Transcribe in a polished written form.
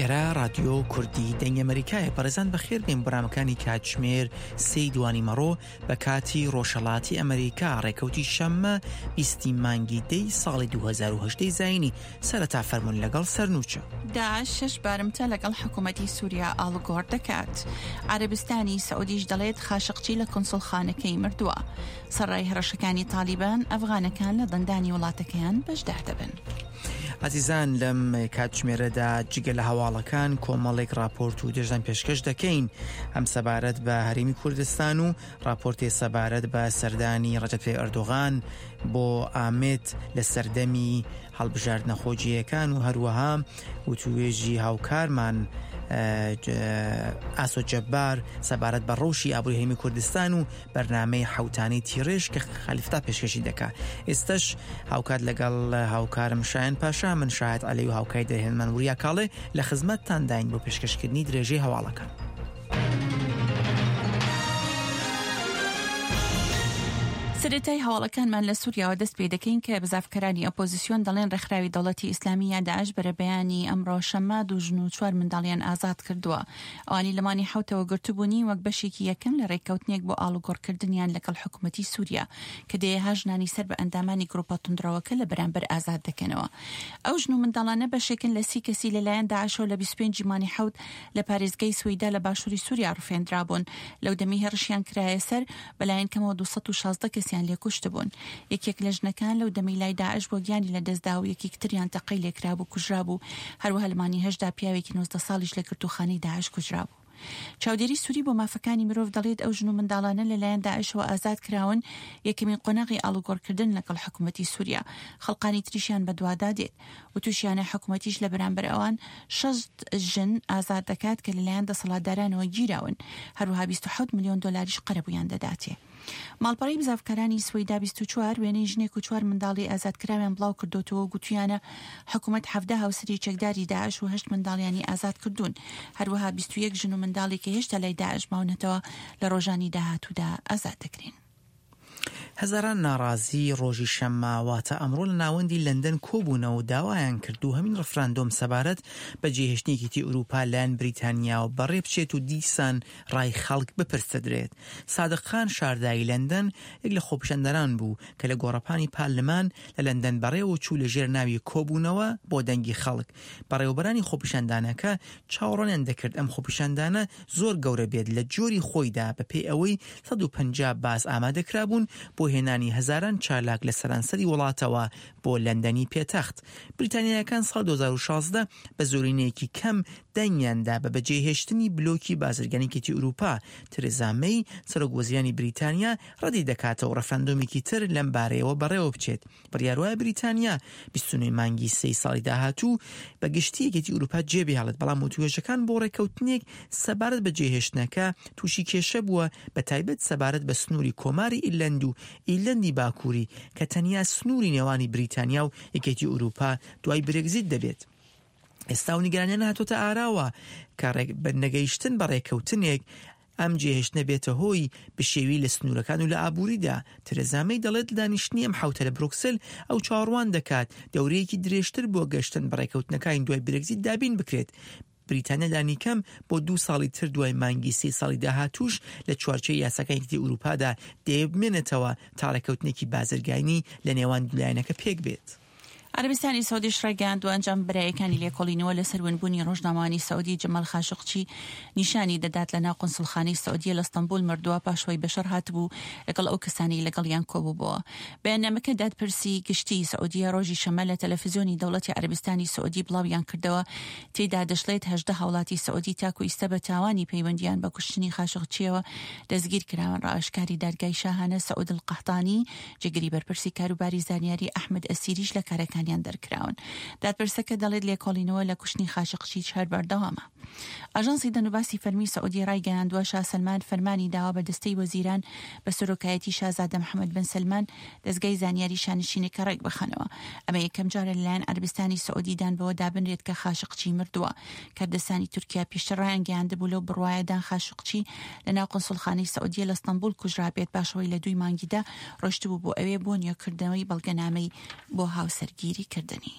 ئێرە رادیۆ کوردی دەنگی ئەمەریکایە بەڕێزان بەخێر بێن بەرامەکانی کاتژمێر سێی دوانی مەڕۆ بە کاتی ڕۆژهەڵاتی ئەمریکا ڕێکەوتی شەممە بیستی مانگی دەی ساڵی 2010 زینی سەرەتا فەرمونون لەگەڵ سەرنوچە. داعش شەش بارمتە لەگەڵ حکوومەتی سووریا ئاڵوگۆڕ دەکات. عەرەبستانی سعودیش دەڵێت خاشقچی لە کونسوڵخانەکەی مردووە. سەرڕای هەڕەشەکانی تاڵیبان، ئەفغانەکان لە دەنگدانی وڵاتەکەیان بەشدار دەبن. ئازیزان لەم کاتژمێرەدا جگە لە هەواڵەکان کۆمەڵێک راپۆرت و دژدان پێشکەش دەکەین هەم سەبارەت بە هەرێمی کوردستان و راپۆرتێ سەبارەت بە سەردانی ڕەجەب تەیب ئەردۆغان بۆ ئامێد لە سەردەمی هەڵبژاردنە خۆجێیەکان و هەروەها وتوێژی هاوکارمان ئاسۆ جەبار سەبارەت بە ڕەوشی ئابووری هەرێمی کوردستان و بەرنامەی حوتانەی تیڕێژ کە خەلیفتا پێشکەشی دەکا ئێستش هاوکات لەگەڵ هاوکارم شایەن پاشا من شاهد عەلی و هاوکاری دەرهێنمان وریا کاڵێ لە خزمەتتانداین بۆ پێشکەشکردنی درێژەی هەواڵەکان. سەرەتای هەواڵەکانمان لە سووریاوە دەست پێ دەکەین کە بزافکەرانی ئۆپۆزیسیۆن دەڵێن ڕێکخراوی دەوڵەتی ئیسلامی یا داعش بەرەبەیانی ئەمڕۆ شەممە دوو ژن و چوار منداڵیان ئازاد کردووە. ئەوانی لە مانگی حەوتەوە گرتبوونی وەک بەشێکی یەکەم لە رێککەوتنێک بۆ ئاڵوگۆڕکردنیان لەگەڵ حکومەتی سووریا کە دەیەها ژنانی سەر بە ئەندامانی گروپە توندڕەوەکە لە بەرامبەر ئازاد دەکەنەوە. ئەو ژن و منداڵانە بەشێکن لە سی کەسی لەلایەن داعشەوە لە 25 ی مانگی حەوت لە پارێزگای سوەیدا لە باشووری سووریا ڕفێندرابوون لەو دەمەی هێڕشیان کرایە سەر بەلایەن کەمەوە 216 کەسیان لێ کوشتبوون. یەکێک لە ژنەکان لەو دەمەی لای داعش بووە گیانی لەدەستدا و یەکیکتریان تەقەی لێکرابوو کوژرابوو، هەروەها لە مانگی هەشتدا پیاوێکی 19 ساڵیش لە گرتووخانەی داعش کوژرابوو. چاودێری سوری بۆ مافەکانی مرۆڤ دەڵێت ئەو ژن و منداڵانە لەلایەن داعشەوە ئازاد کراون یەکەمین قۆناغی ئاڵوگۆڕکردن لەگەڵ حکومەتی سوریا خەڵقانی تریشیان بەدوادا دێت وتوشیانە حکومەتیش لە بەرامبەر ئەوان 60 ژن ئازاد دەکات کە لەلایەن دەسەڵاتدارانەوە گیراون هەروەها 27 ملیۆن دۆلاریش قەرەبوویان دەداتێ. ماڵپەڕی بزاڤکارانی سوەیدا 24 وێنەی ژنێک و چوار منداڵی ئازادکراویان بڵاو کردۆتەوە و گوتویانە حکومەت 17 هاوسەری چەکداری داعش و هەشت منداڵیانی ئازاد کردوون هەروەها 21 ژن و منداڵی کە هێشتا لای داعش ماونەتەوە لە ڕۆژانی داهاتوودا ئازاد دەکرێن. هەزاران ناڕازی ڕۆژی شەممە واتە ئەمڕۆ لە ناوەندی لەندەن کۆبوونەوە و داوایان کرد دووهەمین ڕفراندۆم سەبارەت بە جێهێشتنی یەکێتی ئورووپا لایەن بریتانیاوە بەڕێ بچێت و دیسان ڕای خەڵک بپرسدرێت. سادق خان شارداری لەندەن یەک لە خۆپیشاندەران بوو کە لە گۆڕەپانی پارلمان لە لەندەن بەڕێوە چوو لە ژێر ناوی کۆبوونەوە بۆ دەنگی خەڵک. بەڕێوەبەرانی خۆپیشاندانەکە چاوەڕوانیان دەکرد ئەم خۆپیشاندانە زۆر گەورە بێت لە جۆری خۆیدا بەپێی ئەوەی 150 باس ئامادەکرابوون بۆ هێنانی هەزاران چالاک لە سەرانسەری وڵاتەوە بۆ لەندەنی پێتەخت. بریتانیایەکان ساڵ 2016 بە زۆرینەیەکی کەم دەنگیان دا بە بەجێهێشتنی بلۆکی بازرگانی یەکێتی ئورووپا، ترێزا مەی، سەرۆک وەزیرانی بریتانیا ڕەدی دەکاتەوە ڕەفراندۆمێکی تر لەم بارەیەوە بەڕێوە بچێت. بڕیار وایە بریتانیا 29 مانگی سێی ساڵی داهاتوو بە گشتی یەکێتی ئورووپا جێبهێڵێت، بەڵام وتووێژەکان بۆ ڕێککەوتنێک سەبارەت بە جێهێشتنەکە تووشی کێشە بووە، بە تایبەت سەبارەت بە سنووری کۆماری ئیرلەند و ئیرلەندی باکووری کە تەنیا سنووری نێوانی بریتانیا و یەکێتی ئورووپا دوای برێگزیت دەبێت. ئێستا و نیگەرانیان هاتۆتە ئاراوە کە نەگەیشتن بە ڕێککەوتنێک ئەم جێهێشتنە بێتە هۆی بشێوی لە سنوورەکان و لە ئابووریدا. ترێزا مەی دەڵێت لە دانیشتنی ئەم حەوتە لە برۆکسل ئەو چاوەڕوان دەکات دەورەیەکی درێژتر بۆ گەشتن بە ڕێککەوتنەکانی دوای برێگزیت دابین بکرێت. بریتانیا لانیکەم بۆ دوو ساڵی تر دوای مانگی سێی ساڵی داهاتووش لە چوارچێوەی یاساکانی یەکێتی ئەوروپادا دەیەوێت بمێنێتەوە تا ڕێککەوتنێکی بازرگانی لە نێوان دوو لایەنەکە پێکبێت. عەرەبستانی سعودیش ڕایگەیاندووە، ئەنجام بەرایەکانی لێکۆڵینەوە لەسەر ونبوونی ڕۆژنامەوانی سعودی جەمال خاشقچی نیشانی دەدات لەناو قونسڵخانەی سعودیە لە ستەنبوڵ مردووە پاش ئەوەی بەشەڕ هاتبوو لەگەڵ ئەو کەسانەی لەگەڵیان کۆبووبۆوە. بەیاننامەکە دادپرسی گشتیی سعودیە ڕۆژی شەممە لە تەلەفزیۆنی دەوڵەتی عەرەبستانی سعودی بڵاویان کردەوە تێیدا دەشڵێت 18 هاوڵاتی سعودی تاکو ئیستا بە تاوانی پەیوەندیان بە کوشتنی خاشقچیەوە دەستگیر کراون. ڕاوێژکاری دادگای شاهانە سعود القحطانی جێگری بەرپرسی کاروباری زانیاری ئەحمەد ئەسیریش لە کارەکانیان دەرکراون. دادپرسەکە دەڵێت لێکۆڵینەوە لە کوشتنی خاشقچیش هەر بەردەوامە. ئاژانسی دەنگوباسی فەرمی سعودیە ڕایگەیاندووە شا سەلمان فەرمانی داوە بە دەستەی وەزیران بە سەرۆکایەتی شازادە محەمەد بن سەلمان دەزگای زانیاری شانشینەکە ڕێکبخەنەوە. ئەمە یەکەم جارە لەلایەن عەرەبستانی سعودی دان بەوە دابنرێت کە خاشقچی مردووە. کەردستانی تورکیا پێشتر ڕایانگەیاندبوو لەو بڕوایەدان خاشقچی لەناو قونسوڵخانەی سعودیە لە ستەنبوڵ کوژرابێت پاش ئەوەی لە دووی مانگی دە ڕۆیشتبوو بۆ ئەوێ بۆ نوێکردنەوەی بەڵگەنامەی بۆ هاوسەرگیری کردنی.